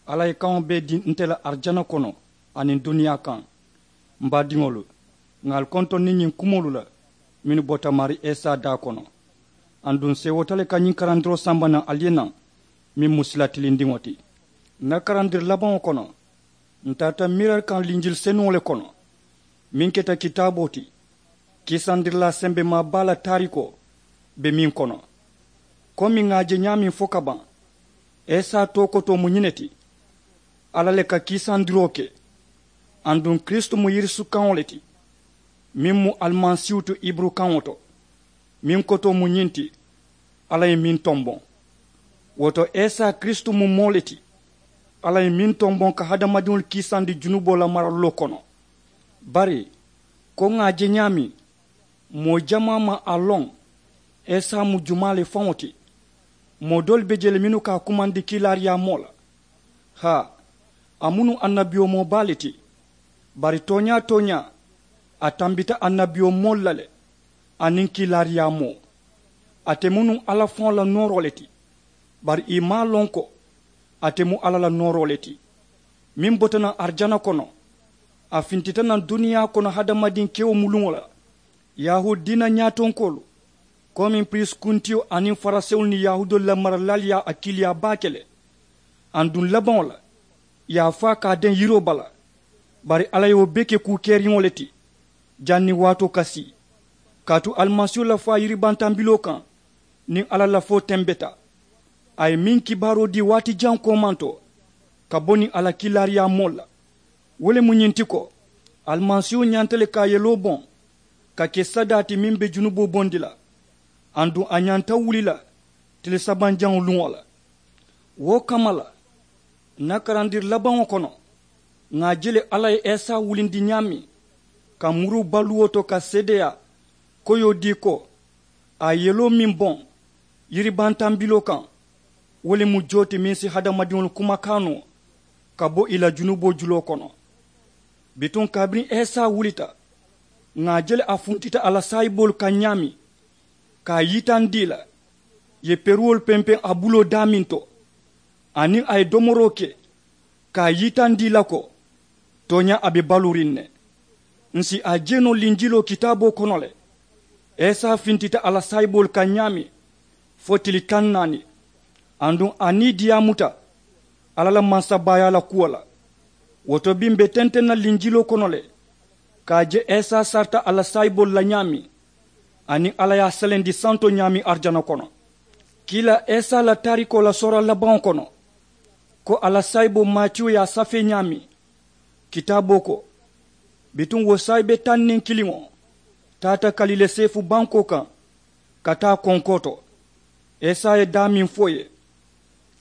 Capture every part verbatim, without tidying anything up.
Alla ye kaŋo bee dii nte la arijana kono aniŋ duniyaa kaŋ. M baadiŋolu, ŋà ali kontondi ñiŋ kumoolu la mennu bota maarii isa daa kono. Aduŋ seewoota le ka ñiŋ karandiroo samba naŋ ali ye naŋ, meŋ mu sila tilindiŋo ti. N na karandiri labaŋo kono, ǹ tarata miira kaŋ linjili senuŋo le kono, meŋ keta kitaaboo ti. Kiisandirilaa sembemaa baa la taarikoo be meŋ kono, komi ŋà a je ñaameŋ fo ka baŋ, isa tookotoo mu ñiŋ ne ti. Alla le ka kiisandiroo ke. Aduŋ kiristu mu yirisu kaŋo le ti, meŋ mu alimasiihu ti iburu kaŋo to. Meŋ kotoo mu ñiŋ ti, alla ye meŋ tomboŋ. Wo to, isa kiristu mu moo le ti, alla ye meŋ tomboŋ ka hadamadiŋolu kiisandi junuboo la maraluloo kono. Bari, ko ŋà a je ñaameŋ, moo jamaa maŋ a loŋ isa mu jumaa le faŋo ti. Moo doolu be jee le mennu ka a kumandi kiilaariyaamoo la. Haa, a mu nuŋ annabiyomoo baa le ti. Bari tooñaa-tooñaa, a tambita annabiyomoolu la le, aniŋ kiilaariyaamoo. Ate mu nuŋ alla faŋo la nooroo le ti. Bari ì maŋ a loŋ ko ate mu alla la nooroo le ti, meŋ bota naŋ arijana kono. A fintita naŋ duniyaa kono hadamadiŋ kewo muluŋo la. Yahuudi diina ñaatonkoolu, komi piriisi kuntiyo aniŋ farisewolu niŋ yahuudoolu la maralaalu ye a kiiliyaa baake le. Aduŋ labaŋo la, ì ye a faa ka a deŋ yiroo bala. Bari alla ye wo bee ke kuu keriŋo le ti, janniŋ waatoo ka sii, kaatu alimasiihu la faa yiribantambiloo kaŋ niŋ alla lafoo tembeta. A ye meŋ kibaaroo dii waati jaŋ koomanto ka bo niŋ a la kiilaariyaamoolu la, wo le mu ñiŋ ti ko, alimasiihu ñanta le ka a yeloo boŋ ka ke sadaa ti meŋ be junuboo bondi la. Aduŋ a ñanta wuli la tili sabanjaŋo luŋo la. Wo kamma la, n na karandiri labaŋo kono, ŋà a je le alla ye isa wulindi ñaameŋ ka muru baluwo to ka seedeyaa koyoo dii ko, a ye yeloo meŋ boŋ yiribantambiloo kaŋ, wo le mu joo ti meŋ si hadamadiŋolu kumakaa noo ka bo ì la junuboo juloo kono. Bituŋ kabiriŋ isa wulita, ŋà a je le a funtita a la saayiboolu kaŋ ñaameŋ, ka a yitandi ì la, ì ye peruwolu pempeŋ a buloo daameŋ to, aniŋ a ye domoroo ke ka a yitandi ì la ko, tooñaa a be baluuriŋ ne. Ǹ si a je noo linjiloo kitaaboo kono le. Isa fintita a la saayiboolu kaŋ ñaameŋ fo tili taŋ naani, aduŋ a nii diyaamuta alla la mansabaayaa la kuwo la. Wo to biŋ m̀ be tenteŋ na linjiloo kono le, ka a je isa sarita a la saayiboolu la ñaameŋ, aniŋ alla ye a selendi santo ñaameŋ arijana kono. Kiilaa isa la taarikoo la soora labaŋo kono, ko a la saayiboo matiyu ye a safee ñaameŋ, kitaaboo ko, bituŋ wo saayibe taŋ niŋ kiliŋo taata kalile seefu bankoo kaŋ ka taa konkoo to. Isa ye daameŋ fo ì ye,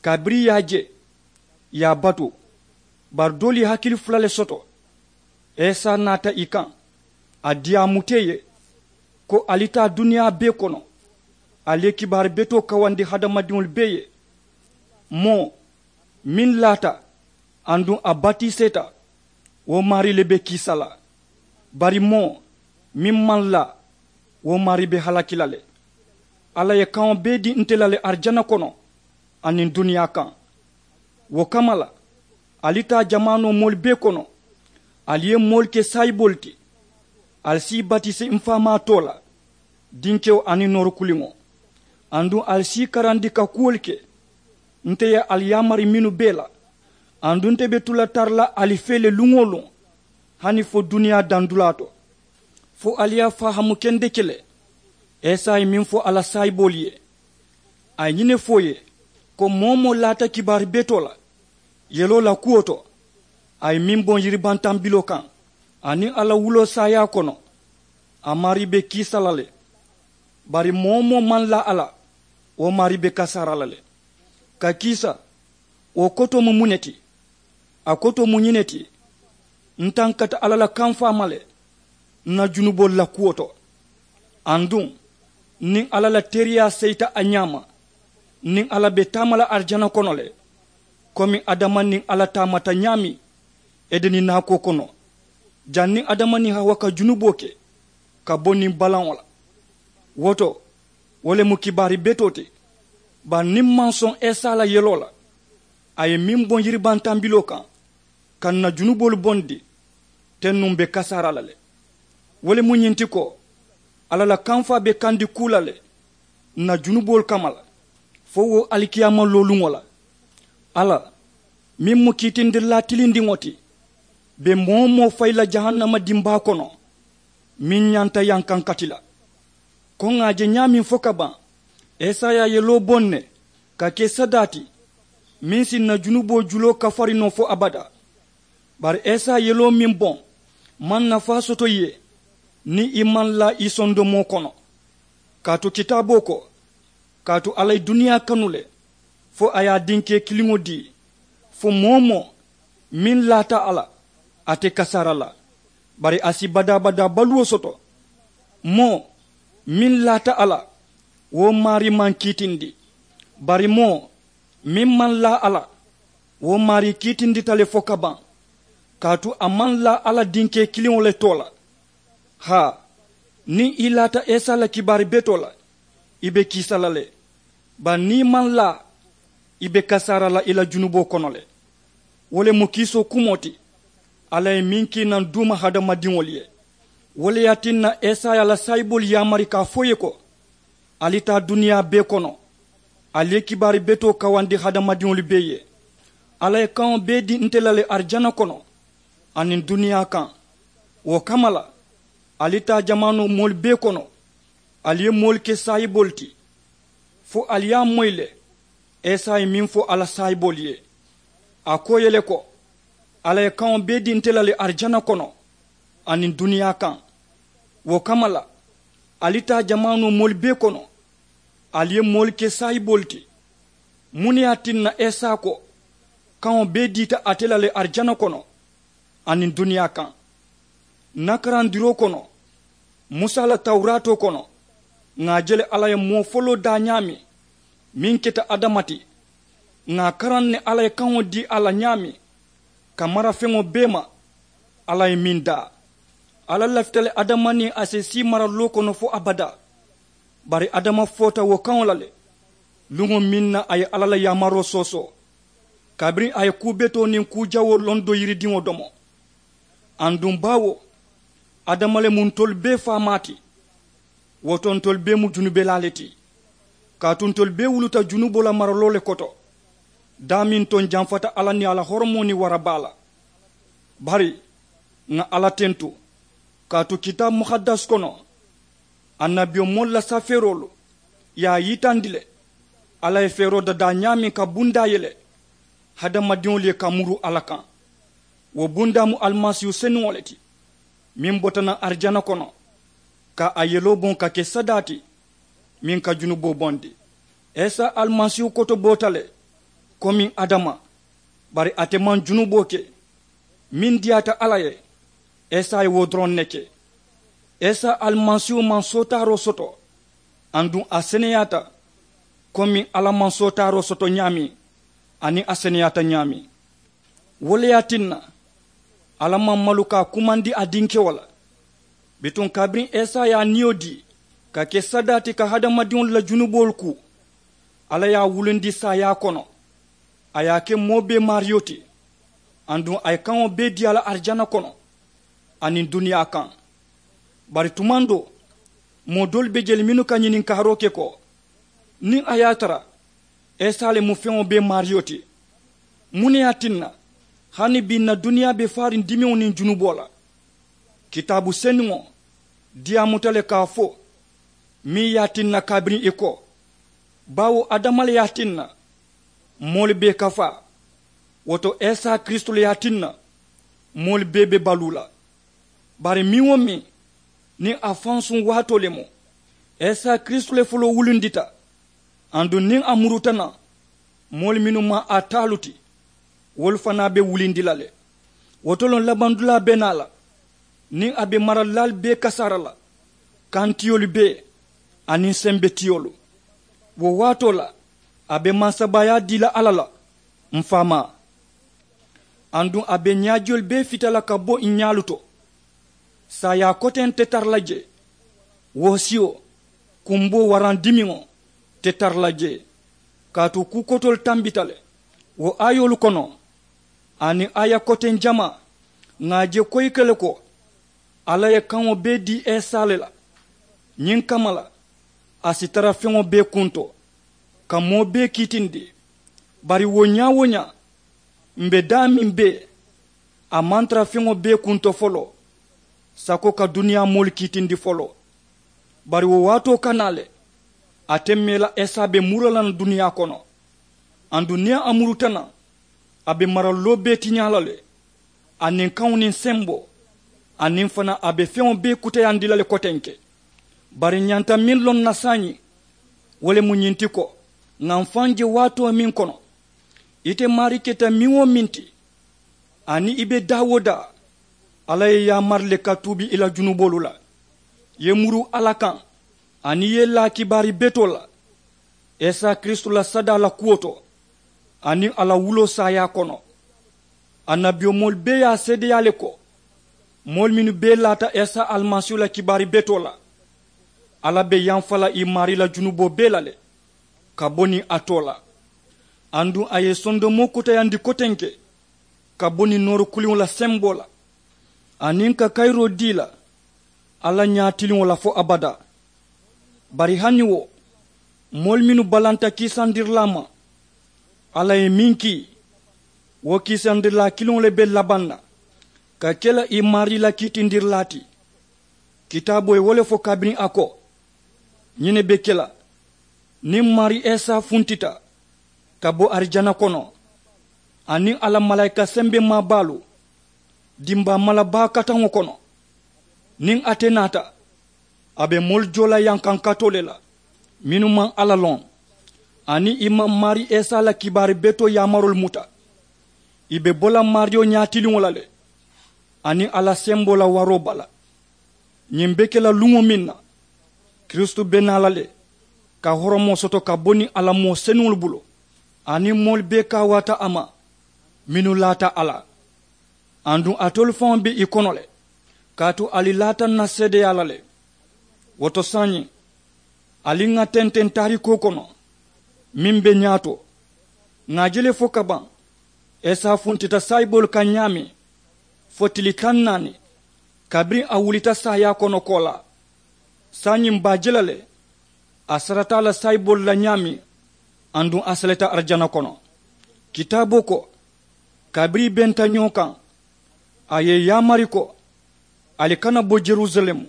kabiriŋ ì ye a je, ì ye a batu. Bari doolu ye hakili fula le soto. Isa naata ì kaŋ, a diyaamuta ì ye, ko ali taa duniyaa bee kono, ali ye kibaari betoo kawandi hadamadiŋolu bee ye. Moo meŋ laata aduŋ a batiseeta, wo maarii le be kiisa la. Bari moo meŋ maŋ laa, wo maarii be halaki la le. Alla ye kaŋo bee dii nte la le arijana kono aniŋ duniyaa kaŋ. Wo kamma la, ali taa jamaanoo moolu bee kono, ali ye moolu ke saayiboolu ti. Ali si ì batisi m faamaa too la, dinkewo aniŋ nooru kuliŋo. Aduŋ ali si ì karandi ka kuwolu ke nte ye ali yaamari mennu bee la. Aduŋ nte be tu la tara la ali fee le luŋ-wo-luŋ, hani fo duniyaa dandulaa to, fo ali ye a fahaamu kendeke le. Isa ye meŋ fo a la saayiboolu ye, a ye ñiŋ ne fo ì ye, ko moo-wo-moo laata kibaari betoo la yeloo la kuwo to, a ye meŋ boŋ yiribantambiloo kaŋ aniŋ a la wuloo saayaa kono, a maarii be kiisa la le. Bari moo-wo-moo maŋ laa a la, wo maarii be kasaara la le. Ka kiisa, wo kotoo mu muŋ ne ti? A kotoo mu ñiŋ ne ti, n tankata alla la kamfaa ma le n na junuboolu la kuwo to. Aduŋ niŋ alla la teeriyaa seyita a ñaama, niŋ alla be taama la arijana kono le, komi adama niŋ alla taamata ñaameŋ edeni naakoo kono, janniŋ adama niŋ hawa ka junuboo ke ka bo niŋ balaŋo la. Wo to, wo le mu kibaari betoo ti. Bari niŋ m maŋ soŋ isa la yeloo la, A ye meŋ boŋ yiribantambiloo kaŋ ka ǹ na junuboolu bondi, teŋ nuŋ be kasaara la le. Wo le mu ñiŋ ti ko, alla la kamfaa be kandi kuu la le ǹ na junuboolu kamma la, fo wo alikiyaama looluŋo la. Alla meŋ mu kiitindilaa tilindiŋo ti, be moo-wo-moo fayi la jahannama dimbaa kono meŋ ñanta yankankati la. Ko ŋà a je ñaameŋ fo ka baŋ, esaya ye loo boŋ ne ka ke sadaa ti meŋ si ǹ na junuboo juloo kafari noo fo abadaa. Bari esaya ye loo meŋ boŋ maŋ nafaa soto i ye niŋ i maŋ laa i sondomoo kono. Kaatu kitaaboo ko, kaatu alla ye duniyaa kanu le fo a ye a dinkee kiliŋo dii, fo moo-wo-moo meŋ laata a la, a te kasaara la, bari a si badaa-badaa baluwo soto. Moo meŋ laata a la, wo maarii maŋ kiitindi. Bari moo meŋ maŋ laa a la, wo maarii kiitindita le fo ka baŋ, kaatu a maŋ laa alla dinkee kiliŋo le too la. Haa, niŋ i laata esa la kibaari betoo la, i be kiisa la le. Bari niŋ i maŋ laa, i be kasaara la i la junuboo kono le. Wo le mu kiisoo kumoo ti alla ye meŋ kii naŋ duuma hadamadiŋolu ye. Wo le ye a tinna esaya la saayiboolu yaamari ka a fo i ye ko, ali taa duniyaa bee kono, ali ye kibaari betoo kawandi hadamadiŋolu bee ye. Alla ye kaŋo bee dii nte la le arijana kono aniŋ duniyaa kaŋ. Wo kamma la, ali taa jamaanoo moolu bee kono, ali ye moolu ke saayiboolu ti, fo ali ye a moyi le. Esa ye meŋ fo a la saayiboolu ye, a ko i ye le ko, alla ye kaŋo bee dii nte la le arijana kono aniŋ duniyaa kaŋ. Wo kamma la, ali taa jamaanoo moolu bee kono, ali ye moolu ke saayiboolu ti. Muŋ ne ye a tinna esa ko, kaŋo bee diita ate la le arijana kono aniŋ duniyaa kaŋ? Ǹ na karandiroo kono, musa la tawuraatoo kono, ŋà a je le alla ye moo foloo daa ñaameŋ meŋ keta adama ti. Ŋà a karaŋ ne alla ye kaŋo dii a la ñaameŋ ka mara feŋo bee ma. Alla ye meŋ daa, alla lafita le adama niŋ a si sii maraloo kono fo abadaa. Bari adama foota wo kaŋo la le luŋo meŋ na a ye alla la yaamaroo soosoo, kabiriŋ a ye kuu betoo niŋ kuu jawoo loŋ do yiridiŋo domo. Aduŋ baawo adama le mu ntolu bee faamaa ti. Wo to ntolu bee mu junubelaa le ti, kaatu ntolu bee wuluta junuboo la maraloo le koto. Daameŋ to ǹ janfata alla niŋ a la horomoo niŋ warabaa la. Bari ŋà alla tentu, kaatu kitaabu muhaddas kono, annabiyomoolu la safeeroolu ye a yitandi le. Alla ye feeroo dadaa ñaameŋ ka bundaa yele hadamadiŋolu ye ka muru alla kaŋ. Wo bundaa mu alimasiihu senuŋo le ti, meŋ bota naŋ arijana kono ka a yeloo boŋ ka ke sadaa ti meŋ ka junuboo bondi. Isa alimasiihu kotoboota le komiŋ adama, bari ate maŋ junuboo ke. Meŋ diyaata alla ye, isa ye wo doroŋ ne ke. Isa alimasiihu maŋ sootaaroo soto, aduŋ a seneyaata komiŋ alla maŋ sootaaroo soto ñaameŋ aniŋ a seneyaata ñaameŋ. Wo le ye a tinna alla maŋ malu ka a kumandi a dinkewo la. Bituŋ kabiriŋ isa ye a niyo dii ka ke sadaa ti ka hadamadiŋolu la junuboolu kuu, alla ye a wulindi saayaa kono. A ye a ke moo bee maariyo ti, aduŋ a ye kaŋo bee dii a la arijana kono aniŋ duniyaa kaŋ. Bari tumaŋ doo, moo doolu be je le mennu ka ñininkaaroo ke ko, niŋ a ye a tara isa le mu feŋo bee maariyo ti, muŋ ne ye a tinna hani bii ǹ na duniyaa be faariŋ dimiŋo niŋ junuboo la? Kitaabu senuŋo diyaamuta le ka a fo meŋ ye a tinna kabiriŋ i ko, baawo adama le ye a tinna moolu bee kafaa. Wo to isa kiristu le ye a tinna moolu bee be baluu la. Bari meŋ-wo-meŋ niŋ a faŋ suŋ waatoo le mu, isa kiristu le foloo wulundita. Aduŋ niŋ a muruta naŋ, moolu mennu maŋ a taalu ti, wolu fanaa be wulindi la le. Wo to loŋ labandulaa be naa la niŋ a be maralilaalu bee kasaara la, kantiyolu bee aniŋ sembetiyolu. Wo waatoo la a be mansabaayaa dii la alla la, m faamaa. Aduŋ a be ñaajiyolu bee fita la ka bo ǹ ñaalu to. Saayaa koteŋ te tara la jee, woosiyo, kumboo waraŋ dimiŋo te tara la jee. Kaatu kuu kotoolu tambita le, Wo aayoolu kono aniŋ aaya koteŋ jamaa ŋà a je koyike le ko alla ye kaŋo bee dii esa le la. Ñiŋ kamma la a si tara feŋo bee kuŋ to ka moo bee kiitindi. Bari wo ñaa-wo-ñaa m̀ be daameŋ bee a maŋ tara feŋo bee kuŋ to foloo sako ka duniyaa moolu kiitindi foloo. Bari wo waatoo ka naa le ate meela esa be muru la naŋ duniyaa kono. Aduŋ niŋ a muruta naŋ a be maraluloo bee tiñaa la le. Aniŋ kaŋo niŋ semboo aniŋ fanaa a be feŋo bee kuteyandi la le kotenke. Bari ñanta meŋ loŋ na saayiŋ wo le mu ñiŋ ti ko ŋà m̀ faŋ je waatoo meŋ kono ite maarii keta meŋ-wo-meŋ ti aniŋ i be daa-wo-daa alla ye i yaamari le ka tuubi i la junuboolu la. I ye muru alla kaŋ aniŋ i ye i laa kibaari betoo la esa kiristu la sadaa la kuwo to aniŋ a la wuloo saayaa kono. Annabiyomoolu bee ye a seedeyaa le ko moolu mennu bee laata esa alimasiihu la kibaari betoo la alla be yamfa la i maarii la junuboo bee la le ka bo niŋ a too la. Aduŋ a ye sondomoo kuteyandi kotenke ka bo niŋ noori kuliŋo la semboo la aniŋ ka kayiroo dii la alla ñaatiliŋo la fo abadaa. Bari hani wo moolu mennu balanta kiisandirilaa ma alla ye meŋ kii wo kiisandirilaa kiliŋo le be labaŋ na ka ke la i maarii la kiitindirilaa ti. Kitaaboo ye wo le fo kabiriŋ a ko ñiŋ ne be ke la niŋ maarii esa funtita ka bo arijana kono aniŋ a la malaayika sembemaa baalu dimbaa mala baa kataŋo kono. Niŋ ate naata a be moolu joo la yankankatoo le la mennu maŋ alla loŋ aniŋ i maŋ maarii esa la kibaari betoo yaamaroolu muta. I be bo la maariyo ñaatiliŋo la le aniŋ a la semboo la waroo bala. Ñiŋ be ke la luŋo meŋ na kiristu be naa la le ka horomoo soto ka bo niŋ a la moo senuŋolu bulu aniŋ moolu bee kaawaata a ma mennu laata a la. Aduŋ alitolu faŋo be i kono le kaatu ali laata ǹ na seedeyaa la le. Wo to saayiŋ ali ŋà tenteŋ taarikoo kono meŋ be ñaato ŋà a je le fo ka baŋ esa funtita saayiboolu kaŋ ñaameŋ fo tili taŋ naani kabiriŋ a wulita saayaa kono koolaa. Saayiŋ m̀ be a je la le a sarata a la saayiboolu la ñaameŋ aduŋ a seleta arijana kono. Kitaaboo ko kabiriŋ i benta ñoo kaŋ a ye i yaamari ko ali kana bo jerusalemu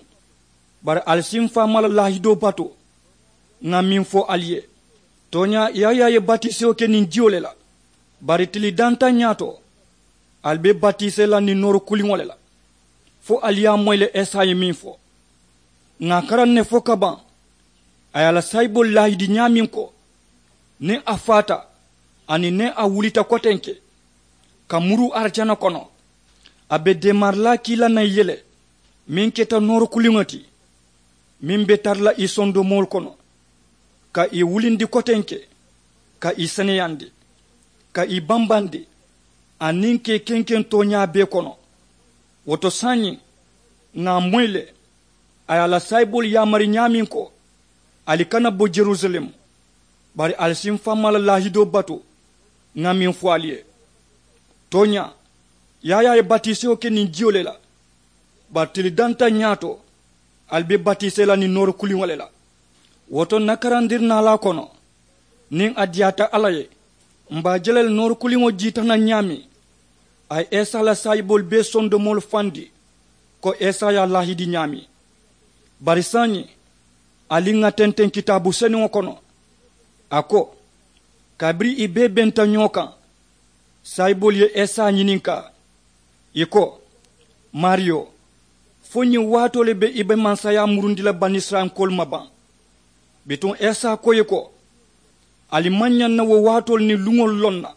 bari ali si m̀ faamaa la laahidoo batu. Ŋà meŋ fo ali ye tooñaa yaayaa ye batisewo ke niŋ jiyo le la. Bari tili dantaŋ ñaato ali be batisee la niŋ noori kuliŋo le la fo ali ye a moyi le esa ye meŋ fo. Ŋà a karaŋ ne fo ka baŋ a ye a la saayiboolu laahidi ñaameŋ ko niŋ a faata aniŋ niŋ a wulita kotenke ka muruu arijana kono a be deemarilaa kii la naŋ i ye le meŋ keta noori kuliŋo ti meŋ be tara la i sondomoolu kono ka i wulindi kotenke ka i seneyandi ka i bambandi aniŋ ka i kenkeŋ tooñaa bee kono. Wo to saayiŋ ŋà a moyi le a ye a la saayiboolu yaamari ñaameŋ ko ali kana bo jerusalemu bari ali si m̀ faamaa la laahidoo batu. Ŋà meŋ fo ali ye tooñaa yaayaa ye batisewo ke niŋ jiyo le la bari tili dantaŋ ñaato ali be batisee la niŋ noori kuliŋo le la. Wo to ǹ na karandirinaalaa kono niŋ a diyaata alla ye m̀ be a je la le noori kuliŋo jiita naŋ ñaameŋ a ye esa la saayiboolu bee sondomoolu fandi ko esa ye a laahidi ñaameŋ. Bari saayiŋ ali ŋà tenteŋ kitaabu senuŋo kono a ko kabiriŋ i bee benta ñoo kaŋ saayiboolu ye esa ñininkaa ì ko maariyo fo ñiŋ waatoo le be i be mansayaa murundi la banisirayilankoolu ma baŋ? Bituŋ esa ko ì ye ko ali maŋ ñaŋ na wo waatoolu niŋ luŋolu loŋ na.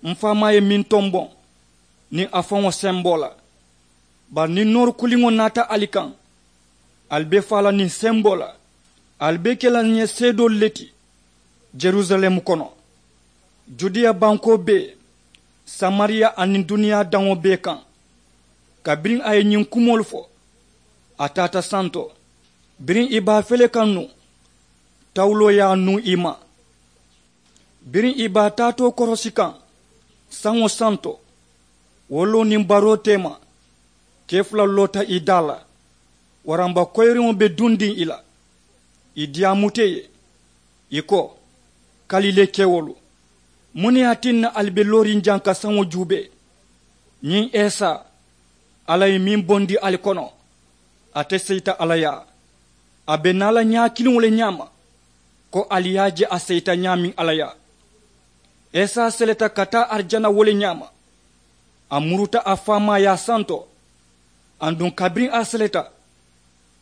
M̀ faamaa ye meŋ tomboŋ niŋ a faŋo semboo la bari niŋ noori kuliŋo naata ali kaŋ ali be faa la niŋ semboo la ali be ke la ǹ ye seedoolu le ti jerusalemu kono judeya bankoo bee samariya aniŋ duniyaa daŋo bee kaŋ. Kabiriŋ a ye ñiŋ kumoolu fo a taata santo biriŋ i be a fele kaŋ nuŋ tawuloo ye a nuŋ i ma. Biriŋ ì be a taatoo korosi kaŋ saŋo santo, wo loo niŋ baroo teema, kee fula loota ì daa la. Waramba koyiriŋo be dundiŋ ì la, ì diyaamuta ì ye. Ì ko, kalilee kewolu, muŋ ne ye a tinna ali be looriŋ jaŋ ka saŋo juubee? Ñiŋ esa, alla ye meŋ bondi ali kono, ate seyita alla yaa. A be naa la ñaa kiliŋo le ñaama, ko ali ye a je a seyita ñaameŋ alla yaa. Esa seleta ka taa arijana wo le ñaama. A muruta a faamaa ye a santo. Aduŋ kabiriŋ a seleta,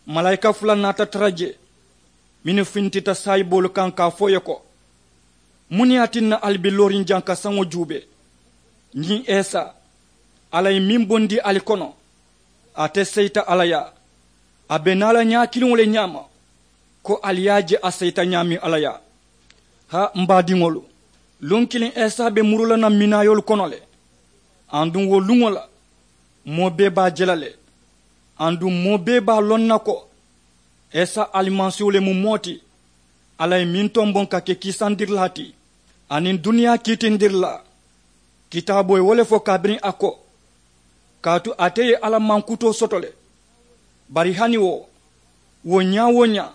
malaayika fula naata tara jee, mennu fintita saayiboolu kaŋ ka a fo ì ye ko, muŋ ne ye a tinna ali be looriŋ jaŋ ka saŋo juubee? Ñiŋ esa, alla ye meŋ bondi ali kono, ate seyita alla yaa. A be naa la ñaa kiliŋo le ñaama, ko ali ye a je a seyita ñaameŋ alla yaa. Haa m baadiŋolu, luŋ kiliŋ esa be muru la naŋ minaayoolu kono le. Aduŋ wo luŋo la, moo bee be a je la le. Aduŋ moo bee be a loŋ na ko, esa alimasiihu le mu moo ti, alla ye meŋ tomboŋ ka ke kiisandirilaa ti, aniŋ duniyaa kiitindirilaa. Kitaaboo ye wo le fo kabiriŋ a ko, kaatu ate ye alla mankutoo soto le. Bari hani wo, wo ñaa-wo-ñaa,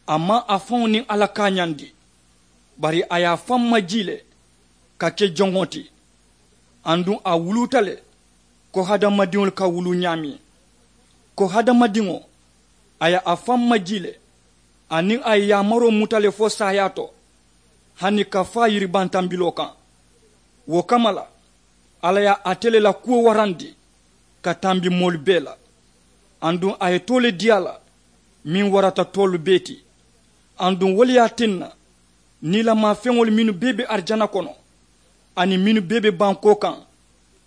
a maŋ a faŋo niŋ alla kaañandi, bari a ye a faŋ majii le ka ke joŋo ti. Aduŋ a wuluuta le ko hadamadiŋolu ka wuluu ñaameŋ. Ko hadamadiŋo, a ye a faŋ majii le, aniŋ a ye yaamaroo muta le fo saayaa to, hani ka faa yiribantambiloo kaŋ. Wo kamma la, alla ye ate le la kuwo warandi ka tambi moolu bee la. Aduŋ a ye too le dii a la, meŋ warata toolu bee ti. Aduŋ wo le ye a tinna, niilamaa feŋolu mennu bee be arijana kono, aniŋ mennu bee be bankoo kaŋ,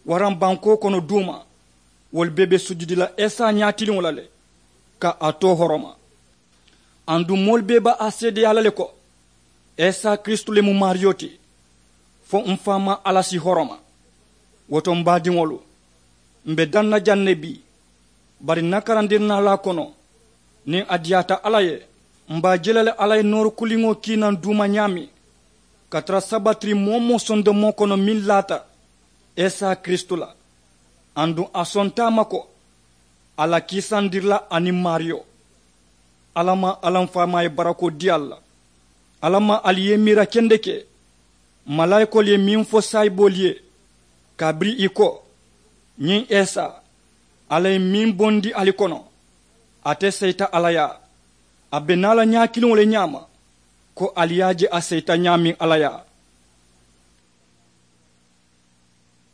waraŋ bankoo kono duuma, wolu bee be sujudi la esa ñaatiliŋo la le, ka a too horoma. Aduŋ moolu bee be a seedeyaa la le ko, esa kiristu le mu maariyo ti, fo m faamaa alla si horoma. Wo to m baadiŋolu, m be daŋ na jaŋ ne bii, bari n na karandirinaalaa kono, niŋ a diyaata alla ye, m be a je la le alla ye nooru kuliŋo kii naŋ duuma ñaameŋ, ka tara sabatiri moo-wo-moo sondomoo kono meŋ laata esa kiristu la. Aduŋ a sonta a ma ko, a la kiisandirilaa aniŋ maariyo, alla maŋ alla m faamaa ye barakoo dii ali la. Alla maŋ ali ye miira kendeke, malaayikoolu ye meŋ fo saayiboolu ye, kabiriŋ ì ko, ñiŋ esa, alla ye meŋ bondi ali kono, ate seyita alla yaa. A be naa la ñaa kiliŋo le ñaama, ko ali ye a je a seyita ñaameŋ alla yaa.